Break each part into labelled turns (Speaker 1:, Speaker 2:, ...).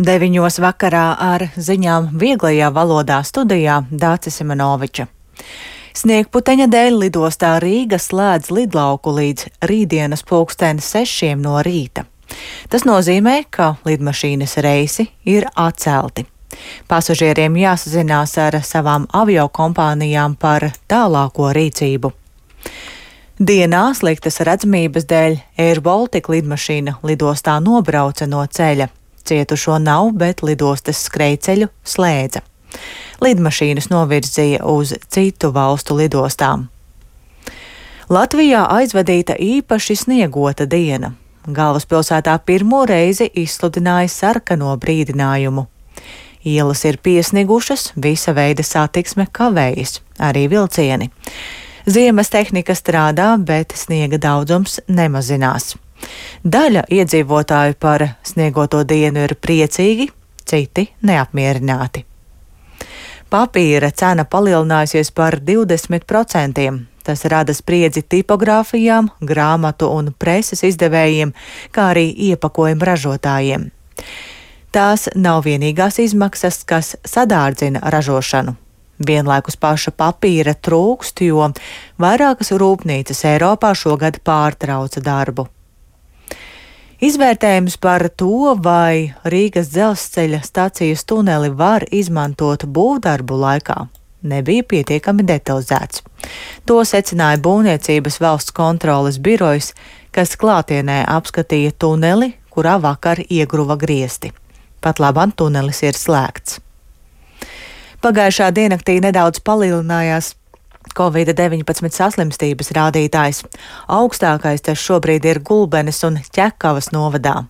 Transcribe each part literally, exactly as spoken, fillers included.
Speaker 1: Deviņos vakarā ar ziņām vieglajā valodā studijā Dācis Simenoviča. Sniegputeņa dēļ lidostā Rīga slēdz lidlauku līdz rītdienas pulksten sešiem no rīta. Tas nozīmē, ka lidmašīnas reisi ir atcelti. Pasažieriem jāsazinās ar savām aviokompānijām par tālāko rīcību. Dienā sliktas redzamības dēļ Air Baltica lidmašīna lidostā nobrauca no ceļa. Cietušo nav, bet lidostas skrejceļu slēdza. Lidmašīnas novirzīja uz citu valstu lidostām. Latvijā aizvadīta īpaši sniegota diena. Galvaspilsētā pirmo reizi izsludināja sarkano brīdinājumu. Ielas ir piesnigušas, visa veida satiksme kavējas, arī vilcieni. Ziemas tehnika strādā, bet sniega daudzums nemazinās. Daļa iedzīvotāju par sniegoto dienu ir priecīgi, citi neapmierināti. Papīra cena palielinājusies par divdesmit procentiem. Tas rada spriedzi tipogrāfijām, grāmatu un preses izdevējiem, kā arī iepakojumu ražotājiem. Tās nav vienīgās izmaksas, kas sadārdzina ražošanu. Vienlaikus paša papīra trūkst, jo vairākas rūpnīcas Eiropā šogad pārtrauca darbu. Izvērtējums par to, vai Rīgas dzelzceļa stacijas tuneli var izmantot būvdarbu laikā, nebija pietiekami detalizēts. To secināja Būvniecības valsts kontroles birojs, kas klātienē apskatīja tuneli, kurā vakar iegruva griesti. Pat labam tunelis ir slēgts. Pagājušā diennaktī nedaudz palielinājās covid deviņpadsmit saslimstības rādītājs. Augstākais tas šobrīd ir Gulbenes un Ķekavas novadā.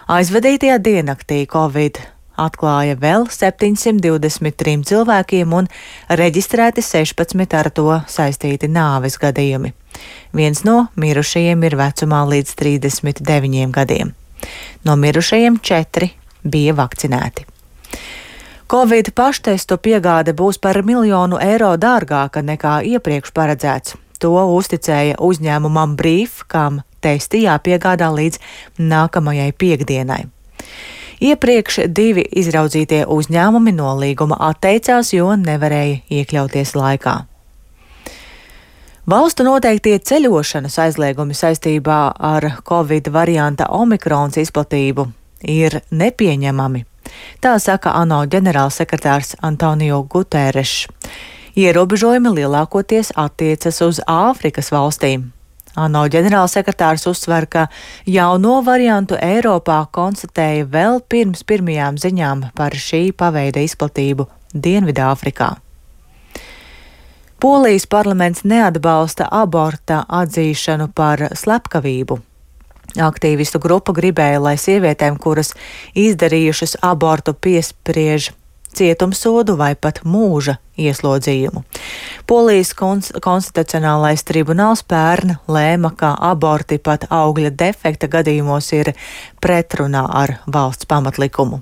Speaker 1: Aizvadītajā diennaktī Covid atklāja vēl septiņsimt divdesmit trim cilvēkiem un reģistrēti sešpadsmit ar to saistīti nāves gadījumi. Viens no mirušajiem ir vecumā līdz trīsdesmit deviņiem gadiem. No mirušajiem četri bija vakcinēti. Covid paštestu piegāde būs par miljonu eiro dārgāka nekā iepriekš paredzēts. To uzticēja uzņēmumam Brief, kam testi jāpiegādā līdz nākamajai piekdienai. Iepriekš divi izraudzītie uzņēmumi no līguma atteicās, jo nevarēja iekļauties laikā. Valstu noteiktie ceļošanas aizliegumi saistībā ar Covid varianta omikrons izplatību ir nepieņemami. Tā saka ANO ģenerālsekretārs Antonio Guterres. Ierobežojumi lielākoties attiecas uz Āfrikas valstīm. ANO ģenerālsekretārs uzsver, ka jauno variantu Eiropā konstatēja vēl pirms pirmajām ziņām par šī paveida izplatību Dienvidāfrikā. Polijas parlaments neatbalsta aborta atzīšanu par slepkavību. Aktīvistu grupa gribēja, lai sievietēm, kuras izdarījušas abortu, piespriež cietumsodu vai pat mūža ieslodzījumu. Polijas kons- konstitucionālais tribunāls pērn lēma, ka aborti pat augļa defekta gadījumos ir pretrunā ar valsts pamatlikumu.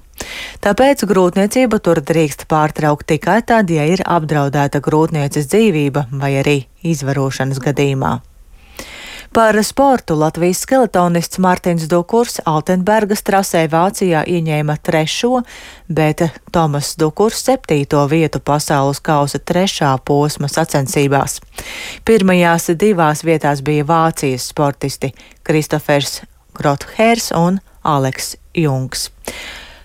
Speaker 1: Tāpēc grūtniecību tur drīkst pārtraukt tikai tad, ja ir apdraudēta grūtnieces dzīvība vai arī izvarošanas gadījumā. Par sportu Latvijas skeletonists Mārtiņš Dukurs Altenbergas trasē Vācijā ieņēma trešo, bet Tomas Dukurs septīto vietu pasaules kausa trešā posma sacensībās. Pirmajās divās vietās bija Vācijas sportisti Kristofers Grothērs un Aleks Jungs.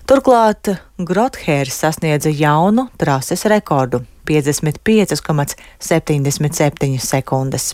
Speaker 1: Turklāt Grothērs sasniedza jaunu trases rekordu – piecdesmit pieci komats septiņdesmit septiņas sekundes.